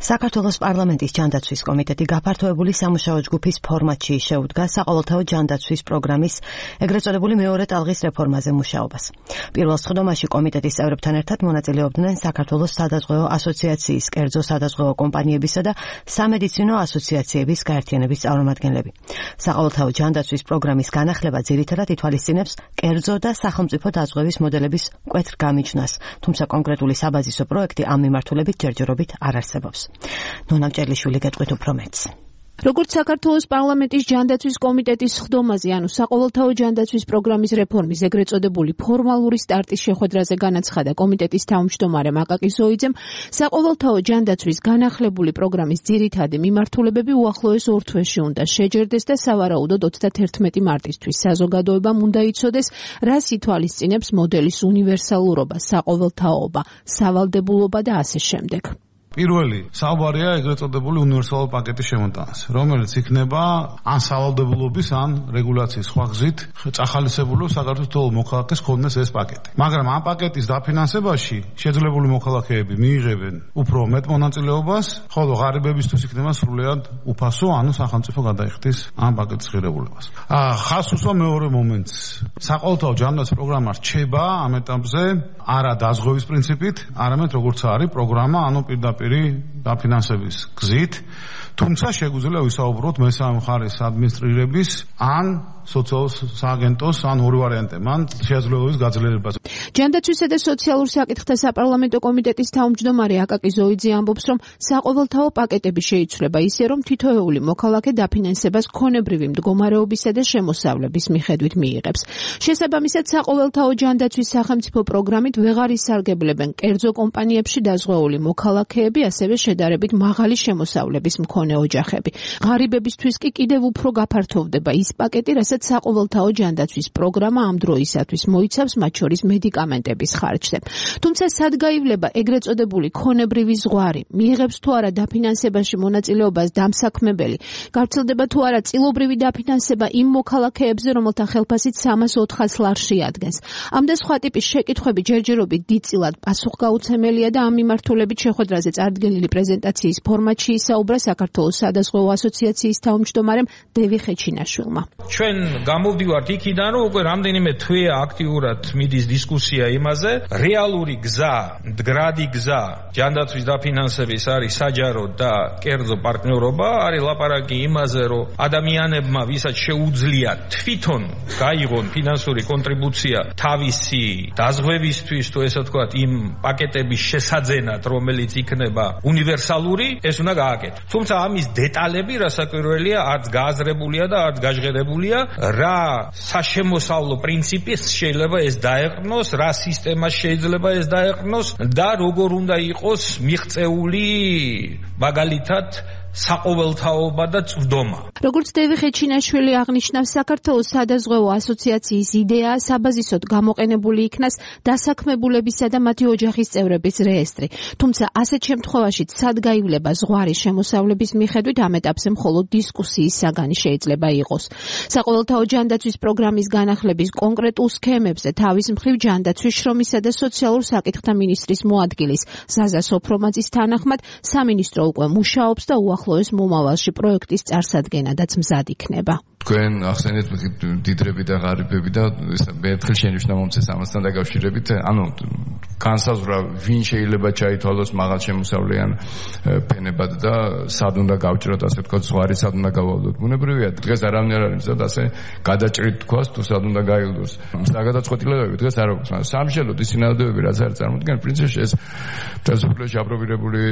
საქართველოს პარლამენტის ჯანდაცვის კომიტეტი გაფართოებული სამუშაო ჯგუფის ფორმატში შეუდგა საყოველთაო ჯანდაცვის პროგრამის ეგრეთ წოდებული მეორე ტალღის რეფორმაზე მუშაობას. პირველ სხდომაში კომიტეტის წევრებთან ერთად მონაწილეობდნენ საქართველოს სადაზღვევო ასოციაციის, კერძო სადაზღვევო კომპანიებისა და სამედიცინო ასოციაციების გაერთიანების წარმომადგენლები. საყოველთაო ჯანდაცვის პროგრამის განახლება ძირითადად ითვალისწინებს კერძო და სახელმწიფო დაზღვევის მოდელების მკვეთრ გამიჯვნას, თუმცა კონკრეტული საბაზისო პროექტი ამ მიმართულებით ჯერჯერობით არ არსებობს. ნონა მჭერლიშვილი გეტყვით უფრო მეტს. როგორც საქართველოს პარლამენტის ჯანდაცვის კომიტეტის სხდომაზე, ანუ საყოველთაო ჯანდაცვის პროგრამის რეფორმის ეგრეთ წოდებული ფორმალური სტარტის შეხვედრაზე განაცხადა კომიტეტის თავმჯდომარე მაკაკი ზოიძემ, საყოველთაო ჯანდაცვის განახლებული პროგრამის ძირითადი მიმართულებები უახლოეს 2 თვეში უნდა შეჯერდეს და სავარაუდოდ 31 მარტისთვის საზოგადოებამ უნდა იცოდეს, რას ითვალისწინებს მოდელის უნივერსალურობა, საყოველთაოობა, სავალდებულობა და ასე შემდეგ. პირველი საუბარია ეგრეთ წოდებული უნივერსალური პაკეტის შემოტანაზე, რომელიც იქნება ან სავალდებულობის, ან რეგულაციის სხვა გზით წახალისებული საქართველოს მოქალაქეს ქონდეს ეს პაკეტი. მაგრამ ამ პაკეტის დაფინანსებაში შეძლებული მოქალაქეები მიიღებენ უფრო მეტ მონაწილეობას, ხოლო ღარიბებისთვის იქნება სრულიად უფასო, ანუ სახელმწიფო გადაიხდის ამ პაკეტის ღირებულებას. ხაზს უსვა მეორე მომენტს. საყოველთაო ჯანდაცვის პროგრამა რჩება ამ ეტაპზე არა დაზღვევის პრინციპით, არამედ როგორც არის პროგრამა, ანუ პირდაპირ დაფინანსების გზით, თუმცა შეგვიძლია ვისაუბროთ მესამე მხარის ადმინისტრირების ან სოციალურ სააგენტოს ან ორი ვარიანტი, მან შესაძლებლობის გაძლიერებას. ჯანდაცვისა და სოციალურ საკითხთა საპარლამენტო კომიტეტის თავმჯდომარე აკაკი ზოიძე ამბობს, რომ საყოველთაო პაკეტები შეიცვლება ისე, რომ თითოეული მოქალაქე დაფინანსებას ქონებრივი მდგომარეობისა და შემოსავლების მიხედვით მიიღებს. შესაბამისად, საყოველთაო ჯანდაცვის სახელმწიფო პროგრამით ვეღარ ისარგებლებენ კერძო კომპანიებში დაზღვეული მოქალაქეები, ასევე შედარებით მაღალი შემოსავლების მქონე ოჯახები. ღარიბებისთვის კი კიდევ უფრო გაფართოვდება ის პაკეტი, რასაც საყოველთაო ჯანდაცვის პროგრამა ამ დროისათვის მოიცავს, მათ შორის მედიკამენტების ხარჯზე. თუმცა სადგაივლება ეგრეთ წოდებული ქონებრივი ზღვარი, მიიღებს თუ არა დაფინანსებაში მონაწილეობას დამსაქმებელი, გავრცელდება თუ არა წილობრივი დაფინანსება იმ მოქალაქეებზე, რომელთა ხელფასით 300-400 ლარს შეადგენს. ამ და სხვა ტიპის შეკითხვები ჯერჯერობით დიდწილად პასუხგაუცემელია და ამ მიმართულებით შეხვედრაზე წარდგენილი პრეზენტაციის ფორმატში ისაუბრა საქართველოს სადაზღვევო ასოციაციის თავმჯდომარემ დევი ხეჩინაშვილმა. ჩვენ გამოვდივართ იქიდან, რომ უკვე რამდენიმე თვეა აქტიურად მიდის დისკუსია იმაზე, რეალური გზა, მდგრადი გზა ჯანდაცვის დაფინანსების არის საჯარო და კერძო პარტნიორობა, არის ლაპარაკი იმაზე, რომ ადამიანებმა, ვისაც შეუძლია თვითონ გაიღონ ფინანსური კონტრიბუცია თავისი დაზღვევისთვის, თუ ესე ვთქვათ, იმ პაკეტების შესაძენად, რომელიც იქნება უნივერსალური, ეს უნდა გააკეთოს. თუმცა ამის დეტალები რასაკვირველია, არც გააზრებულია და არც გაჟღერებულია, რა საშემოსავლო პრინციპის შეიძლება ეს დაეყრდნოს, რა სისტემა შეიძლება ეს დაეყრდნოს და როგორ უნდა იყოს მიღწეული მაგალითად საყოველთაობა და წვდომა. როგორც დევი ხეჩინაშვილი აღნიშნავს, საქართველოს სადაზღვევო ასოციაციის იდეაა საბაზისოდ გამოყენებული იქნას დასაქმებულებისა და მათი ოჯახის წევრების რეესტრი. თუმცა ასეთ შემთხვევაშიც სადგაივლება ზღვარი შემოსავლების მიხედვით ამ ეტაპზე მხოლოდ დისკუსიის საგანი შეიძლება იყოს. საყოველთაო ჯანდაცვის პროგრამის განახლების კონკრეტულ სქემებზე თავის მხრივ ჯანდაცვის, შრომისა და სოციალურ საკითხთა მინისტრის მოადგილის ზაზა სოფრომაძის თანახმად სამინისტრო უკვე მუშაობს და უახლოეს მომავალში პროექტის წარსადგენადაც მზად იქნება. თქვენ ახსენეთ დიდრები და ღარიბები და ერთხელ შენიშნა მომცეს ამასთან დაკავშირებით, ანუ განსაზღვრა ვინ შეიძლება ჩაითვალოს მაღალშემოსავლიან ფენებად და სად უნდა გავჭროთ, ასე ვთქვათ, ზღვარი სად უნდა გავალდოთ. ბუნებრივია, დღეს არავინ არ არის მზად ასე გადაჭრით თქვას თუ სად უნდა გაილდოს. გადაწყვეტილებები დღეს არ აქვს. სამშელოდ ის სინამდვილეები რაც არის წარმოქმნილი, პრინციპში ეს დასაწყისში აპრობირებული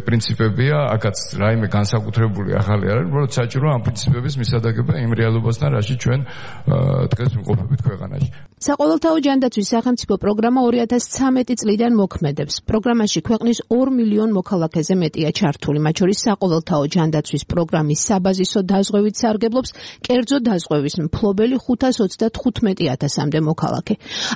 პრინციპებია, აქაც რაიმე განსაკუთრებული ახალი არ არის, უბრალოდ საჭიროა ამ პრინციპების მისადაგება იმ რეალობასთან, რაში ჩვენ დღეს ვიმყოფებით ქვეყანაში. საყოველთაო ჯანდაცვის სახელმწიფო პროგრამა 2013 წლიდან მოქმედებს. პროგრამაში ქვეყნის 2 მილიონ მოქალაქეზე მეტია ჩართული, მათ შორის საყოველთაო ჯანდაცვის პროგრამის საბაზისო დაზღვევით სარგებლობს კერძო დაზღვევის მფლობელი 525,000-მდე მოქალაქე.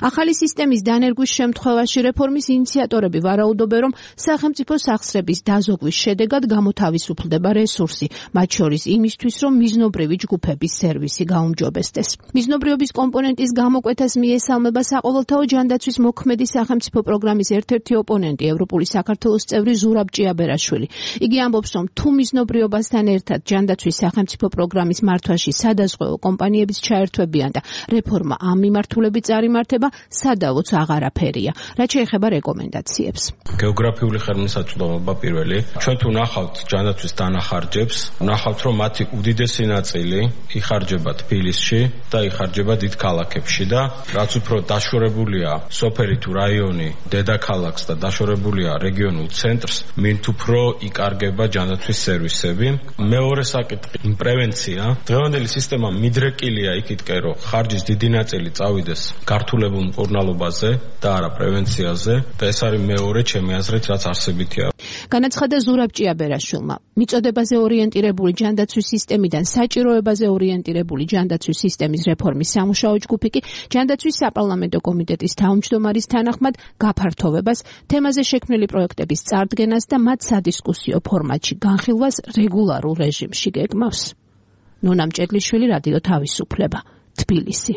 ახალი სისტემის დანერგვის შემთხვევაში რეფორმის ინიციატორები ვარაუდობენ, რომ სახელმწიფო სახსრების დაზოგვის შედეგად გამოთავისუფლდება რესურსი, მათ შორის იმისთვის, რომ მიზნობრივი ჯგუფების სერვისი გაუმჯობესდეს. მიზნობრიობის კომპონენტის გამოკვეთას მიესალმება საყოველთაო ჯანდაცვის მოქმედი სახელმწიფო პროგრამის ერთ-ერთი ოპონენტი, ევროპული საქართველოს წევრი ზურაბ ჭიაბერაშვილი. იგი ამბობს, რომ თუ მიზნობრიობასთან ერთად ჯანდაცვის სახელმწიფო პროგრამის მართვაში სადაზღვეო კომპანიებიც ჩაერთვებიან და რეფორმა ამ მიმართულებით წარიმართება, სადავოც აღარაფერია. რაც შეეხება რეკომენდაციებს. გეოგრაფიული ხელმისაწვდომობა პირველი. ჩვენ თუ ნახავთ ჯანდაცვის დანახარჯებს, ნახავთ, რომ მათი უდიდესი ნაწილი იხარჯება თბილისში და იხარჯება დიდ ქალაქებში და რაც უფრო დაშორებულია სოფელი თუ რაიონი დედაქალაქს და დაშორებულია რეგიონულ ცენტრს, მით უფრო იკარგება ჯანდაცვის სერვისები. მეორე საკითხი, პრევენცია. დღევანდელი სისტემა მიდრეკილია იქითკენ, რომ ხარჯის დიდი ნაწილი წავიდეს გართულებულ მკურნალობაზე და არა პრევენციაზე და ეს არის მეორე ჩემი აზრით, რაც არსებითია. განაცხადა ზურაბ ჭიაბერაშვილმა. მიწოდებაზე ორიენტირებული ჯანდაცვის სისტემიდან საჭიროებაზე ორიენტირებული ჯანდაცვის სისტემის რეფორმის სამუშაო ჯგუფი კი ჯანდაცვის საპარლამენტო კომიტეტის თავმჯდომარის თანახმად გაფართოვებას, თემაზე შექმნილი პროექტების წარდგენას და მათ სადისკუსიო ფორმატში განხილვას რეგულარულ რეჟიმში გეგმავს. ნონა მჭედლიშვილი, რადიო თავისუფლება, თბილისი.